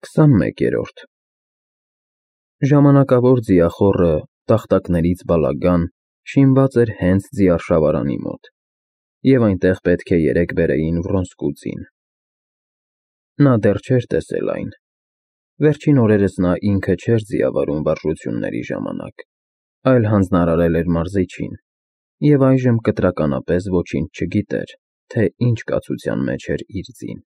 21-րդ Ժամանակավոր ձիախոռը տախտակներից բալագան շինված էր հենց ձիարշավարանի մոտ, և այնտեղ պետք է երեկ բերեին Վռոնսկու ձին։ Նա դեռ չէր տեսել այն, վերջին օրերս նա ինքը չէր ձիավարում վարժությունների ժամանակ, այլ հանձնարարել էր մարզիչին, և այժմ կտրականապես ոչինչ չգիտեր, թե ինչ կացության մեջ էր իր ձին։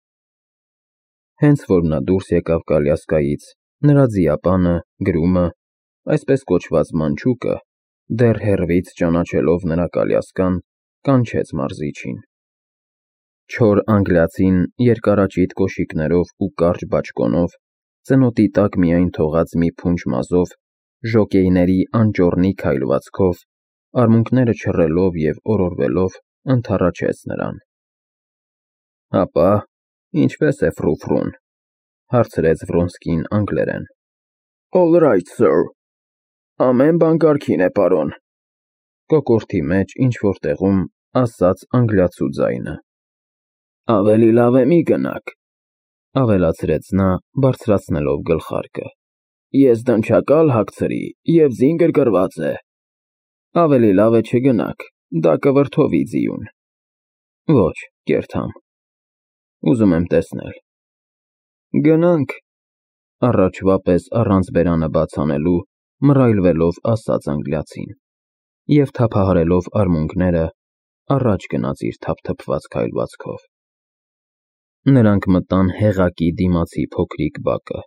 Հենց որ նա դուրս եկավ կալյասկայից, նրա ձիապանը, Գրումը, այսպես կոչված մանչուկը, դեռ հեռվից ճանաչելով նրա կալյասկան, կանչեց մարզիչին։ Չոր անգլիացին երկարաճիտ կոշիկներով ու կարճ բաճկոնով, ծնոտի տակ միայն թողած մի փունջ մազով, ժոկեյների անճոռնի քայլվածքով, արմունկները չռելով և օրորվելով, ընդառաջեց նրան։ Հապա, ինչպե՞ս է Ֆրու֊Ֆրուն, հարցրեց Վռոնսկին անգլերեն։ All right, sir, ամեն բան կարգին է, պարոն, կոկորդի մեջ ինչ-որ տեղում ասաց անգլիացու ձայնը։ Ավելի լավ է մի գնաք, ավելացրեց նա, բարձրացնելով գլխարկը։ Ես դնչակալ հագցրի, և ձին գրգռված է։ Ավելի լավ է չգնաք, դա կվրդովի ձիուն։ Ոչ, կերթամ, ուզում եմ տեսնել։ Գնանք, առաջվա պես առանց բերանը բաց անելու, մռայլվելով ասաց անգլիացին, և թափահարելով արմունկները, առաջ գնաց իր թափթփված քայլվածքով։ Նրանք մտան հեղակի դիմացի փոքրիկ բակը։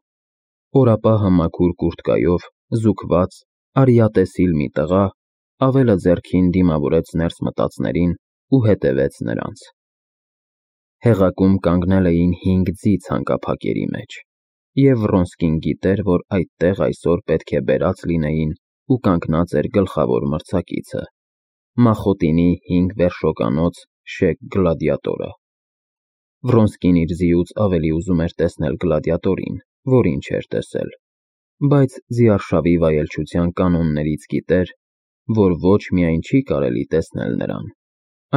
Օրապահը մաքուր կուրտկայով, զուգված, արիատեսիլ մի տղա, ավելը ձեռքին դիմավորեց ներս մտածներին ու հետևեց նրանց։ Հեղակում կանգնել էին 5 ձի ցանկափակերի մեջ, և Վռոնսկին գիտեր, որ այդտեղ այսօր պետք է բերած լինեին ու կանգնած էր գլխավոր մրցակիցը՝ Մախոտինի 5 վերշոկանոց Շեկ Գլադիատորը։ Վռոնսկին իր ձիուց ավելի ուզում էր տեսնել գլադիատորին, որին չէր տեսել, բայց ձիարշավի վայելչության կանոններից գիտեր, որ ոչ միայն չի կարելի տեսնել նրան,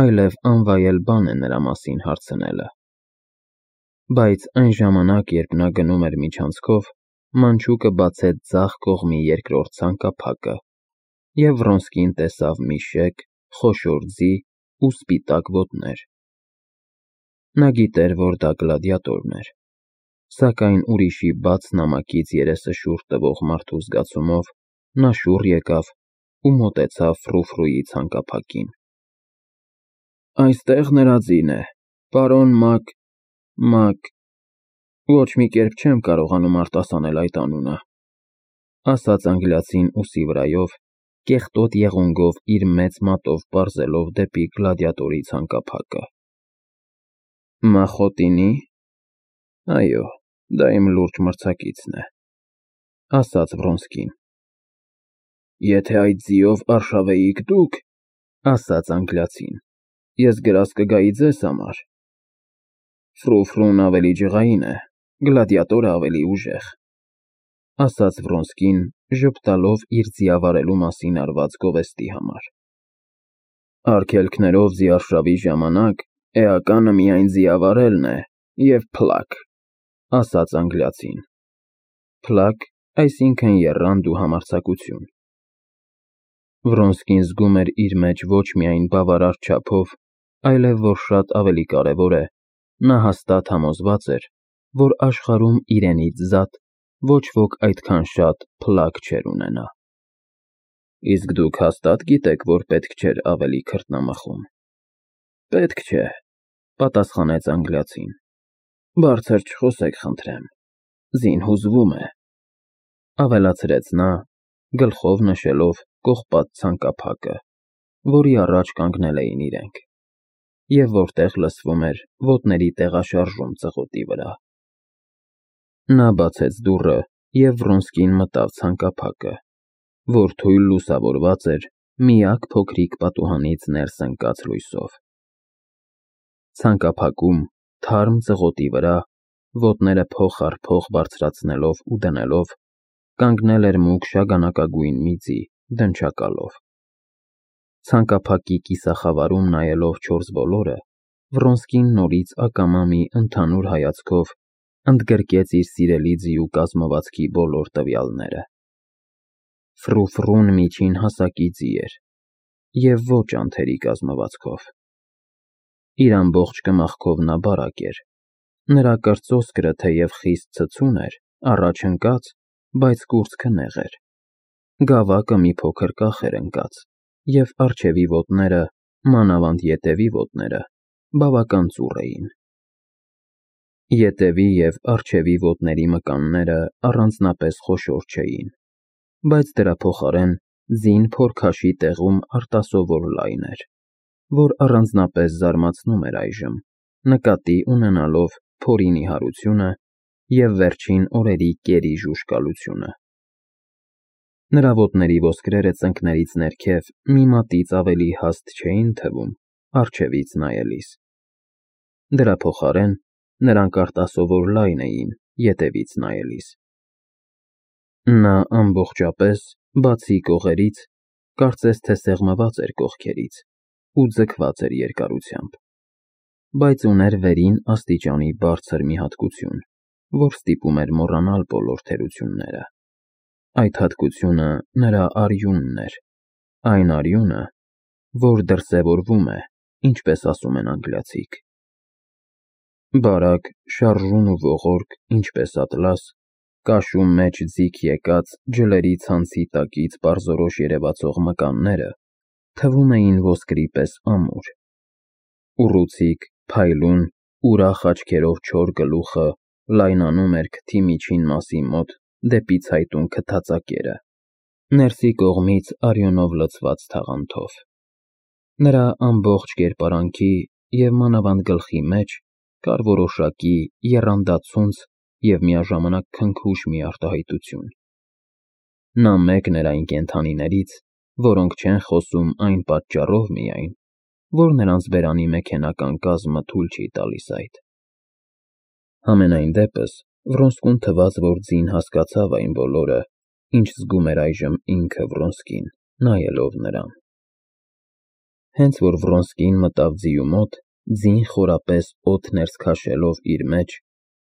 այլև անվայել բան է նրա մասին հարցնելը։ Բայց այն ժամանակ, երբ նա գնում էր միջանցքով, մանչուկը բացեց ձախ կողմի երկրորդ ցանկափակը, և Վռոնսկին տեսավ մի շեկ, խոշոր ձի ու սպիտակ ոտներ։ Նա գիտեր, որ դա գլադիատորն էր, սակայն ուրիշի բաց նամակից երեսը շուռ տվող մարդու զգացումով նա շուռ եկավ ու մոտեցավ Ֆրու֊Ֆրուի ցանկափակին։ Այստեղ նրա ձին է, պարոն Մակ, ոչ մի կերպ չեմ կարողանում արտասանել այդ անունը, ասաց անգլիացին ուսի վրայով, կեղտոտ եղունգով իր մեծ մատով պարզելով դեպի գլադիատորի ցանկափակը։ Մախոտինի՞։ Այո, դա իմ լուրջ մրցակիցն է, ասաց Վռոնսկին։ Եթե այդ ձիով արշավեիք դուք, ասաց անգլիացին, ես գրազ կգայի ձեզ համար։ Ֆրու֊Ֆրուն ավելի ջղային է, գլադիատորը ավելի ուժեղ, ասաց Վռոնսկին, ժպտալով իր ձիավարելու մասին արված գովեստի համար։ Արգելքներով ձիարշավի ժամանակ էականը միայն ձիավարելն է և փլաք, ասաց անգլիացին։ Փլաք, այսինքն եռանդ ու համարձակություն։ Վռոնսկին զգում էր իր մեջ ոչ միայն բավարար չափով, այլև որ շատ ավելի կարևոր է, նա հաստատ համոզված էր, որ աշխարհում իրենից զատ ոչ ոք այդքան շատ փլաք չէր ունենա։ Իսկ դուք հաստատ գիտեք, որ պետք չէր ավելի քրտնամխում։ Պետք չէ, պատասխանեց անգլիացին։ Բարձր չխոսեք, խնդրեմ, ձին հուզվում է, ավելացրեց նա, գլխով նշելով կողպատ ցանկափակը, որի առաջ կանգնել էին իրենք, և որտեղ լսվում էր ոտների տեղաշարժում ծղոտի վրա։ Նա բացեց դուռը, և Վռոնսկին մտավ ցանկափակը, որ թույլ լուսավորված էր միակ փոքրիկ պատուհանից ներս ընկած լույսով։ Ցանկափակում, թարմ ծղոտի վրա, ոտները փող առ փող բարձրացնելով ու դնելով, կանգնել էր մուգ շագանակագույն մի ձի, դնչակալով։ Ցանկափակի կիսախավարում նայելով չորս բոլորը, Վռոնսկին նորից ակամա մի ընդհանուր հայացքով ընդգրկեց իր սիրելի ձիու կազմվածքի բոլոր տվյալները։ Ֆրուֆրուն միջին հասակի ձի էր և ոչ անթերի կազմվածքով։ Իր ամբողջ կմախքով նա բարակ էր, նրա կրծոսկրը թեև խիստ ցցուն էր, առաջ ընկած, բայց կուրծքը նեղ էր, գավակը մի փոքր կախ էր ընկած, և առջևի ոտները, մանավանդ ետևի ոտները, բավական ծուռ էին։ Ետևի և առջևի ոտների մկանները առանձնապես խոշոր չէին, բայց դրա փոխարեն ձին փորքաշի տեղում արտասովոր լայն էր, որ առանձնապես զարմացնում էր այժմ, նկատի ունենալով փորի նիհարությունը և վերջին օրերի կերի ժուժկալությունը։ Նրա ոտների ոսկրերը ծնկներից ներքև մի մատից ավելի հաստ չէին թվում առջևից նայելիս։ Դրա փոխարեն նրանք արտասովոր լայն էին ետևից նայելիս։ Նա ամբողջապես, բացի կողերից, կարծես թե սեղմված էր կողքերից ու ձգված էր երկարությամբ, բայց ուներ վերին աստիճանի բարձր մի հատկություն, որ ստիպում էր մոռանալ բոլոր թերությունները։ Այդ հատկությունը նրա արյունն էր, այն արյունը, որ դրսևորվում է, ինչպես ասում են անգլիացիք։ Բարակ, շարժուն ու ողորկ, ինչպես ատլաս, կաշու մեջ ձիգ եկած ջլերի ցանցի տակից պարզորոշ երևացող մկանները թվում էին ոսկրի պես ամուր։ Ուռուցիկ, փայլուն, ուրախ աչքերով չոր գլուխը լայնանում էր քթի միջին մասի մոտ դեպի ցայտուն քթածակերը, ներսի կողմից արյունով լցված թաղանթով։ Նրա ամբողջ կերպարանքի և մանավանդ գլխի մեջ կար որոշակի եռանդացունց և միաժամանակ քնքուշ մի արտահայտություն։ Նա մեկն էր այն կենդանիներից, որոնք չեն խոսում այն պատճառով միայն, որ նրանց բերանի մեքենական կազմը թույլ չի տալիս այդ։ Համենայն դեպս, Վրոնսկուն թվաց, որ ձին հասկացավ այն բոլորը, ինչ զգում էր այժմ ինքը Վրոնսկին, նայելով նրան։ Հենց որ Վրոնսկին մտավ ձիու մոտ, ձին խորապես օդ ներս քաշելով իր մեջ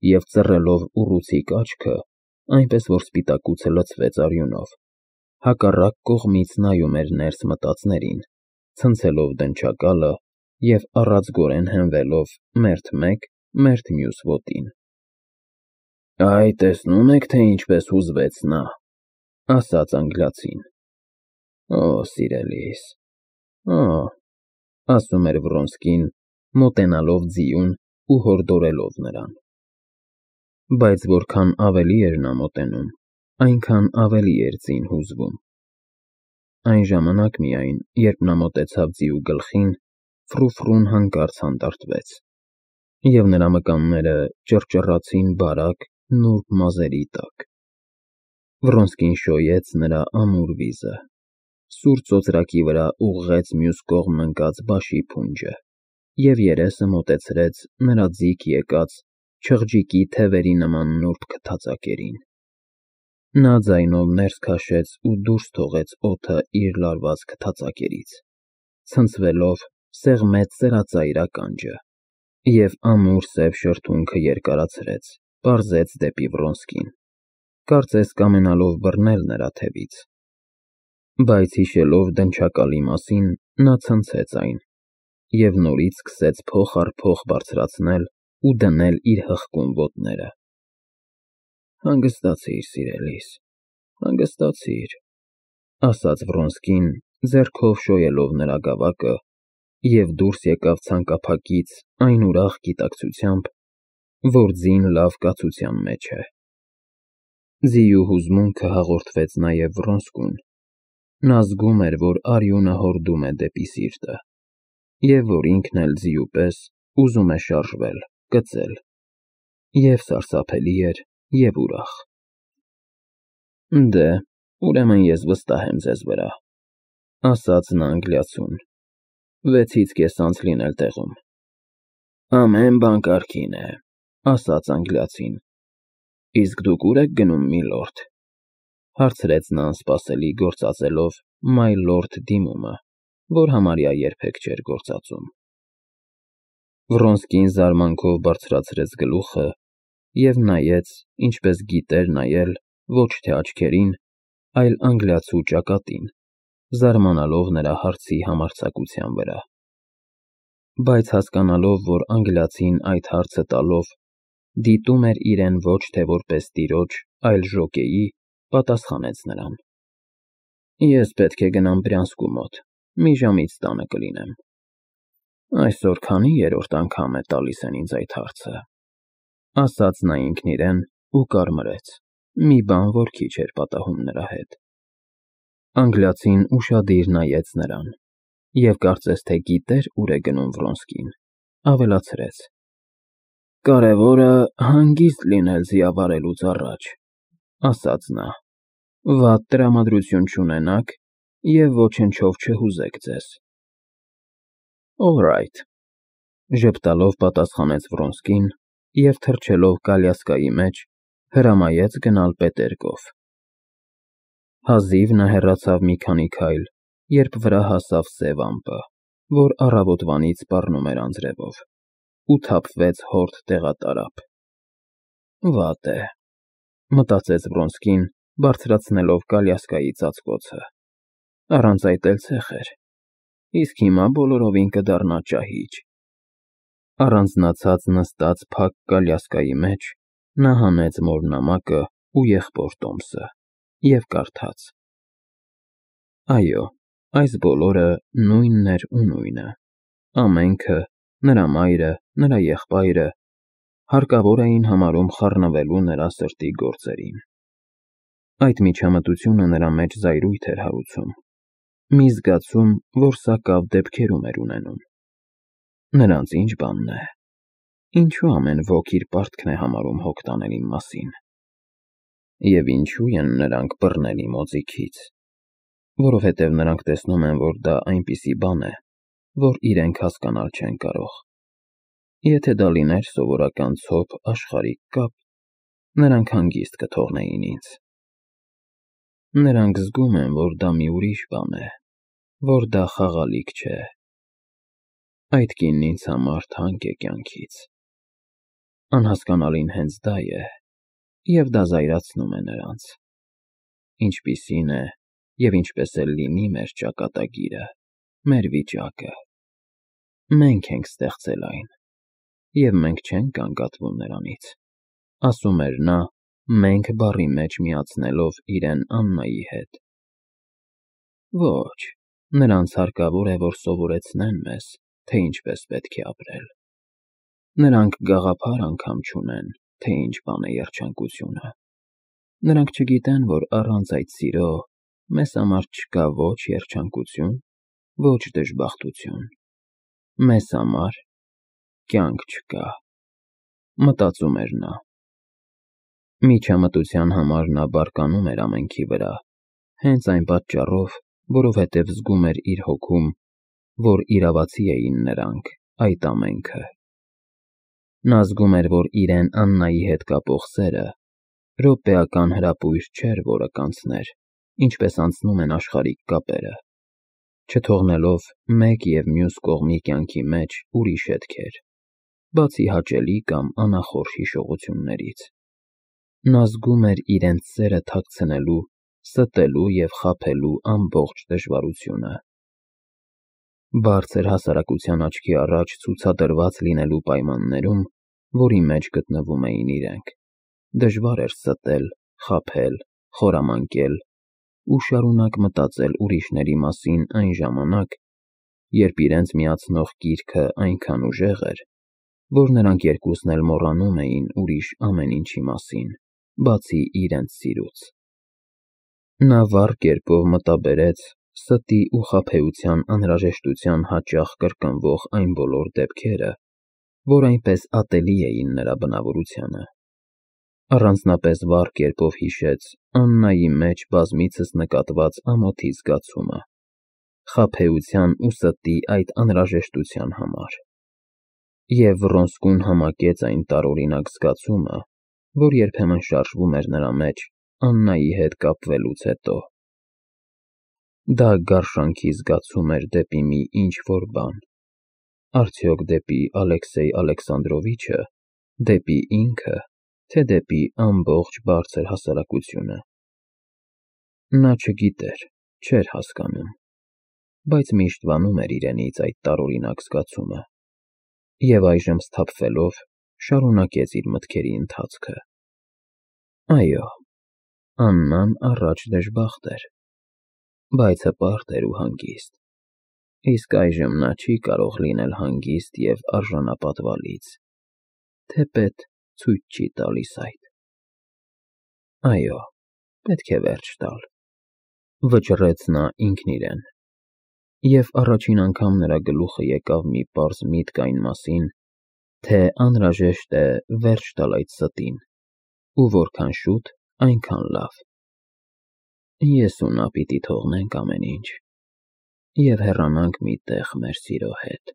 և ծռելով ուռուցիկ աչքը, այնպես որ սպիտակուցը լցվեց արյունով, հակառակ կողմից նայում էր ներս մտածներին, ցնցելով դնչակալը և առածգորեն հենվելով մերթ մեկ, մերթ մյուս ոտին։ «Այ տեսնո՞ւմ եք, թե ինչպես հուզվեց նա», ասաց անգլիացին։ «Օ, սիրելիս, օ», ասում էր Վրոնսկին, մոտենալով ձիուն ու հորդորելով նրան։ Բայց որքան ավելի էր նա մոտենում, այնքան ավելի էր ձին հուզվում։ Այն ժամանակ միայն, երբ նա մոտեցավ ձիու գլխին, Ֆրուֆրուն հանկարծ հանդարտվեց, և նրա մկանները ճռճռացին բարակ, նուրբ մազերի տակ։ Վրոնսկին շոյեց նրա ամուր վիզը, սուր ծոծրակի վրա ուղղեց մյուս կողմն ընկած բաշի փունջը և երեսը մոտեցրեց նրա ձիգ եկած, չղջիկի թևերի նման նուրբ քթածակերին։ Նա ձայնով ներս քաշեց ու դուրս թողեց օդը իր լարված քթածակերից, ցնցվելով սեղմեց սրածայր ականջը և ամուր սև շրթունքը երկարացրեց, պարզեց դեպի Վրոնսկին, կարծես կամենալով բռնել նրա թևից։ Բայց հիշելով դնչակալի մասին, նա ցնցեց այն և նորից սկսեց փող առ փող բարձրացնել ու դնել իր հղկուն ոտները։ «Հանգստացիր, սիրելիս, հանգստացիր», ասաց Վրոնսկին, ձեռքով շոյելով նրա գավակը, և դուրս եկավ ցանկափակից այն ուրախ գիտակցությամբ, որ ձին լավ կացության մեջ է։ Ձիու հուզմունքը հաղորդվեց նաև Վրոնսկուն։ Նա զգում էր, որ արյունը հորդում է դեպի սիրտը, և որ ինքն էլ ձիու պես ուզում է շարժվել, կծել, և սարսափելի էր, և ուրախ։ «Դե, ուրեմն ես վստահ եմ ձեզ վրա», ասաց նա անգլիացուն, «6-ից կես անց լինել տեղում»։ «Ամեն բան կարգին է», ասաց անգլիացին։ «Իսկ դուք ո՞ւր եք գնում, միլորդ», հարցրեց նա անսպասելի, գործածելով «my lord» դիմումը, որ համարյա երբեք չէր գործածում։ Վրոնսկին զարմանքով բարձրացրեց գլուխը և նայեց, ինչպես գիտեր նայել, ոչ թե աչքերին, այլ անգլիացու ճակատին, զարմանալով նրա հարցի համարձակության վրա։ Բայց հասկանալով, որ անգլիացին այդ հարցը տալով դիտում էր իրեն ոչ թե որպես տիրոջ, այլ ժոկեի, պատասխանեց նրան. Ես պետք է գնամ Բրյանսկու մոտ, մի ժամից տանը կլինեմ։ Այսօր քանի երրորդ անգամ է տալիս են ինձ այդ հարցը, ասաց նա ինքն իրեն ու կարմրեց, մի բան, որ քիչ էր պատահում նրա հետ։ Անգլիացին ուշադիր նայեց նրան և կարծես թե գիտեր ուր է գնում Վրոնսկին, ավելացրեց. Կարևորը հանգիստ լինել ձիավարելուց առաջ, ասաց նա, վատ տրամադրություն չունենաք և ոչնչով չհուզեք ձեզ։ All right, ժպտալով պատասխանեց Վրոնսկին և թռչելով կալյասկայի մեջ հրամայեց գնալ Պետերկով։ Հազիվ նա հեռացավ մի քանի քայլ, երբ վրա հասավ սև ամպը, որ առավոտվանից սպառնում էր անձրևով, ու թափվեց հորդ տեղատարափ։ Վատ է, մտածեց Վրոնսկին, բարձրացնելով կալյասկայի ծածկոցը։ Առանց այդ էլ ցեխ էր, իսկ հիմա բոլորովին կդառնա ճահիճ։ Առանձնացած նստած փակ կալյասկայի մեջ նա հանեց մոր նամակը ու եղբոր տոմսը և կարդաց. Այո, այս բոլորը նույնն էր ու նույնը, ամենքը, նրա մայրը, նրա եղբայրը, հարկավոր էին համարում խառնվելու նրա սրտի գործերին։ Այդ միջամտությունը նրա մեջ զայրույթ էր հարուցում, մի զգացում, որ սակավ դեպքերում էր ունենում։ Նրանց ինչ բանն է, ինչու ամեն ոք իր պարտքն է համարում հոգ տանել իմ մասին։ Եվ ինչու են նրանք բռնել իմ օձիքից, որովհետև նրանք տեսնում են, որ դա այնպիսի բան է, որ իրենք հասկանալ չեն կարող։ Եթե դա լիներ սովորական ցոփ աշխարհիկ կապ, նրանք հանգիստ կթողնեին ինձ։ Նրանք զգում են, որ դա մի ուրիշ բան է, որ դա խաղալիք չէ։ Այդ կինն ինձ համար թանկ է կյանքից։ Անհասկանալին հենց դա է, և դա զայրացնում է նրանց։ Ինչպիսին է և ինչպես էլ լինի մեր ճակատագիրը, մեր վիճակը։ Մենք ենք ստեղծել այն, և մենք չենք գանգատվում նրանից, ասում էր նա, մենք բառի մեջ միացնելով իրեն Աննայի հետ։ Ոչ, նրանց հարկավոր է, որ սովորեցնեն մեզ, թե ինչպես պետք է ապրել։ Նրանք գաղափար անգամ չունեն, թե ինչ բան է երջանկությունը։ Նրանք չգիտեն, որ առանց այդ սիրո մեզ համար չկա ոչ երջանկություն, ոչ դժբախտություն։ Մեզ համար կյանք չկա, մտածում էր նա։ Միջամտության համար նա բարկանում էր ամենքի վրա, հենց այն պատճառով, որովհետև զգում էր իր հոգում, որ իրավացի էին նրանք, այդ ամենքը։ Նա զգում էր, որ իրեն Աննայի հետ կապող սերը րոպեական հրապույր չէր, որը կանցներ, ինչպես անցնում են աշխարհիկ կապերը, չթողնելով մեկ և մյուս կողմի կյանքի մեջ ուրիշ հետքեր, բացի հաճելի կամ անախորժ հիշողություններից։ Նա զգում էր իրենց սերը թաքցնելու, ստելու և խաբելու ամբողջ դժվարությունը։ Բարձր հասարակության աչքի առաջ ցուցադրված լինելու պայմաններում, որի մեջ գտնվում էին իրենք, դժվար էր ստել, խաբել, խորամանկել ու շարունակ մտածել ուրիշների մասին այն ժամանակ, երբ իրենց միացնող կիրքը այնքան ուժեղ էր, որ նրանք երկուսն էլ մոռանում էին ուրիշ ամեն ինչի մասին, բացի իրենց սիրուց։ Նա վառ կերպով մտաբերեց ստի ու խաբեության անհրաժեշտության հաճախ կրկնվող այն բոլոր դեպքերը, որ այնպես ատելի էին նրա բնավորությանը։ Առանձնապես վառ կերպով հիշեց Աննայի մեջ բազմիցս նկատված ամոթի զգացումը, խաբեության ու ստի այդ անհրաժեշտության համար։ Եվ Վռոնսկուն համակեց այն տարօրինակ զգացումը, որ երբեմն շարժվում էր նրա մեջ Աննայի հետ կապվելուց հետո։ Դա գարշանքի զգացում էր դեպի մի ինչ-որ բան, արդյոք դեպի Ալեքսեյ Ալեքսանդրովիչը, դեպի ինքը, թե դեպի ամբողջ բարձր հասարակությունը։ Նա չգիտեր, չէր հասկանում, բայց միշտ վանում էր իրենից այդ տարօրինակ զգացումը, և այժմ սթափվելով շարունակեց իր մտքերի ընթացքը։ Այո, Աննան առաջ դժբախտ էր, բայց հպարտ էր ու հանգիստ, իսկ այժմ նա չի կարող լինել հանգիստ և արժանապատվալից, թեպետ ցույց չի տալիս այդ։ Այո, պետք է վերջ տալ, վճռեց նա ինքն իրեն, և առաջին անգամ նրա գլուխը եկավ մի պարզ միտք այն մասին, թե անհրաժեշտ է վերջ տալ այդ ստին, ու որքան շուտ, այնքան լավ։ Ես ու նա պիտի թողնենք ամեն ինչ և հեռանանք մի տեղ մեր սիրո հետ,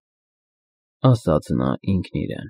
ասաց նա ինքն իրեն։